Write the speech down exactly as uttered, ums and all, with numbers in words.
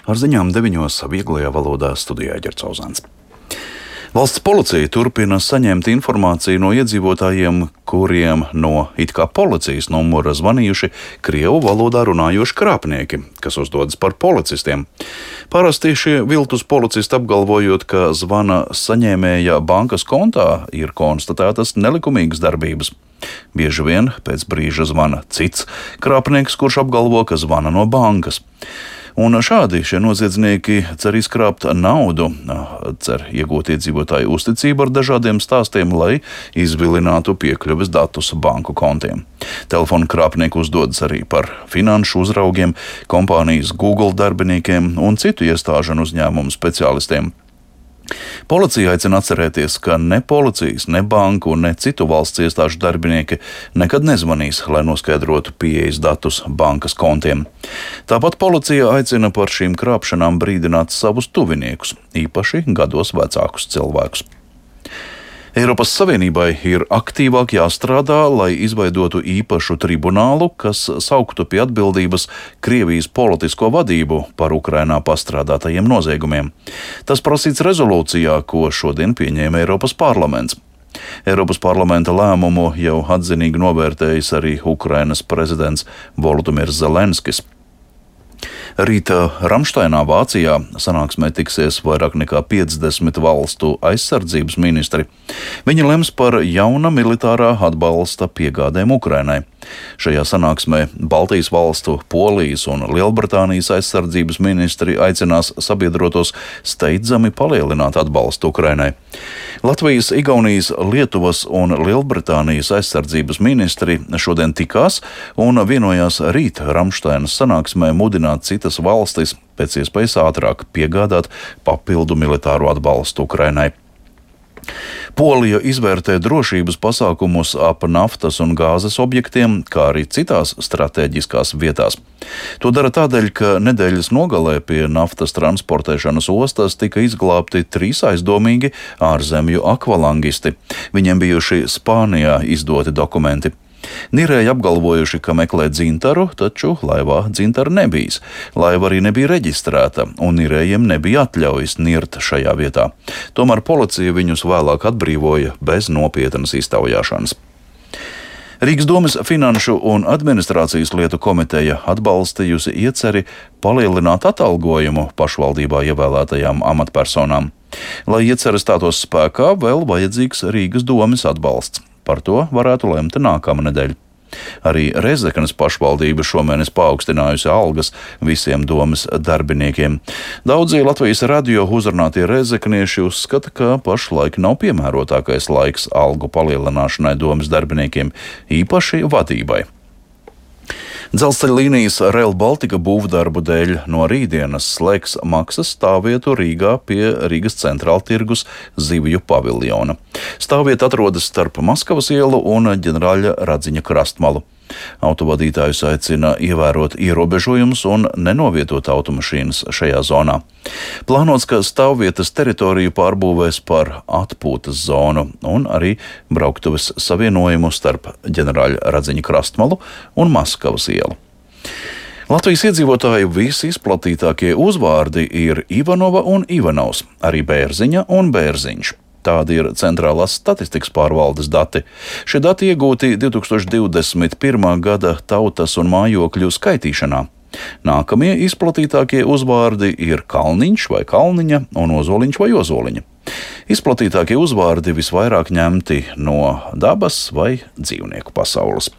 Ar ziņām deviņos vieglajā valodā studijā Ģercauzāns. Valsts policija turpina saņemt informāciju no iedzīvotājiem, kuriem no it kā policijas numura zvanījuši krievu valodā runājoši krāpnieki, kas uzdodas par policistiem. Parasti šie viltus policisti apgalvojot, ka zvana saņēmēja bankas kontā ir konstatētas nelikumīgas darbības. Bieži vien pēc brīža zvana cits krāpnieks, kurš apgalvo, ka zvana no bankas. Un šādi šie noziedznieki cer izkrāpt naudu, cer iegūt iedzīvotāju uzticību ar dažādiem stāstiem, lai izvilinātu piekļuves datus banku kontiem. Telefonu krāpnieki uzdodas arī par finanšu uzraugiem, kompānijas Google darbiniekiem un citu iestāžu un uzņēmumu speciālistiem. Policija aicina atcerēties, ka ne policijas, ne banku, ne citu valsts iestāžu darbinieki nekad nezvanīs, lai noskaidrotu pieejas datus bankas kontiem. Tāpat policija aicina par šīm krāpšanām brīdināt savus tuviniekus, īpaši gados vecākus cilvēkus. Eiropas Savienībai ir aktīvāk jāstrādā, lai izveidotu īpašu tribunālu, kas sauktu pie atbildības Krievijas politisko vadību par Ukrainā pastrādātajiem noziegumiem. Tas prasīts rezolūcijā, ko šodien pieņēma Eiropas parlaments. Eiropas parlamenta lēmumu jau atzinīgi novērtējis arī Ukrainas prezidents Volodimirs Zelenskis. Rīta Ramšteinā, Vācijā, sanāksmē tiksies vairāk nekā piecdesmit valstu aizsardzības ministri. Viņi lems par jauna militārā atbalsta piegādēm Ukrainai. Šajā sanāksmē Baltijas valstu, Polijas un Lielbritānijas aizsardzības ministri aicinās sabiedrotos steidzami palielināt atbalstu Ukrainai. Latvijas, Igaunijas, Lietuvas un Lielbritānijas aizsardzības ministri šodien tikās un vienojās rīt Ramšteinas sanāksmē mudināt citas valstis pēc iespējas ātrāk piegādāt papildu militāro atbalstu Ukrainai. Polija izvērtē drošības pasākumus ap naftas un gāzes objektiem, kā arī citās stratēģiskās vietās. To dara tādēļ, ka nedēļas nogalē pie naftas transportēšanas ostas tika izglābti trīs aizdomīgi ārzemju akvalangisti. Viņiem bijuši Spānijā izdoti dokumenti. Nirēji apgalvojuši, ka meklē dzintaru, taču laivā dzintara nebijis. Laiva arī nebija reģistrēta, un nirējiem nebija atļaujas nirt šajā vietā. Tomēr policija viņus vēlāk atbrīvoja bez nopietnas iztaujāšanas. Rīgas domes Finanšu un administrācijas lietu komiteja atbalstījusi ieceri palielināt atalgojumu pašvaldībā ievēlētajām amatpersonām. Lai iecere stātos spēkā, vēl vajadzīgs Rīgas domes atbalsts. Par to varētu lemt nākamā nedēļa. Arī Rēzeknes pašvaldība šomēnes paaugstinājusi algas visiem domes darbiniekiem. Daudzi Latvijas radio uzrunātie rēzeknieši uzskata, ka pašlaik nav piemērotākais laiks algu palielināšanai domes darbiniekiem, īpaši vadībai. Dzelzceļa līnijas Rail Baltica būvdarbu dēļ no rītdienas slēgs maksas stāvvietu Rīgā pie Rīgas centrāla tirgus Zivju paviljona. Stāvvieta atrodas starp Maskavas ielu un ģenerāļa Radziņa krastmalu. Autovadītājus aicina ievērot ierobežojumus un nenovietot automašīnas šajā zonā. Plānots, ka stāvvietas teritoriju pārbūvēs par atpūtas zonu un arī brauktuves savienojumu starp ģenerāļa Radziņa krastmalu un Maskavas ielu. Latvijas iedzīvotāju visizplatītākie uzvārdi ir Ivanova un Ivanovs, arī Bērziņa un Bērziņš. Tādi ir centrālās statistikas pārvaldes dati. Šie dati iegūti divtūkstoš divdesmit pirmā gada tautas un mājokļu skaitīšanā. Nākamie izplatītākie uzvārdi ir Kalniņš vai Kalniņa un Ozoliņš vai Ozoliņa. Izplatītākie uzvārdi visvairāk ņemti no dabas vai dzīvnieku pasaules.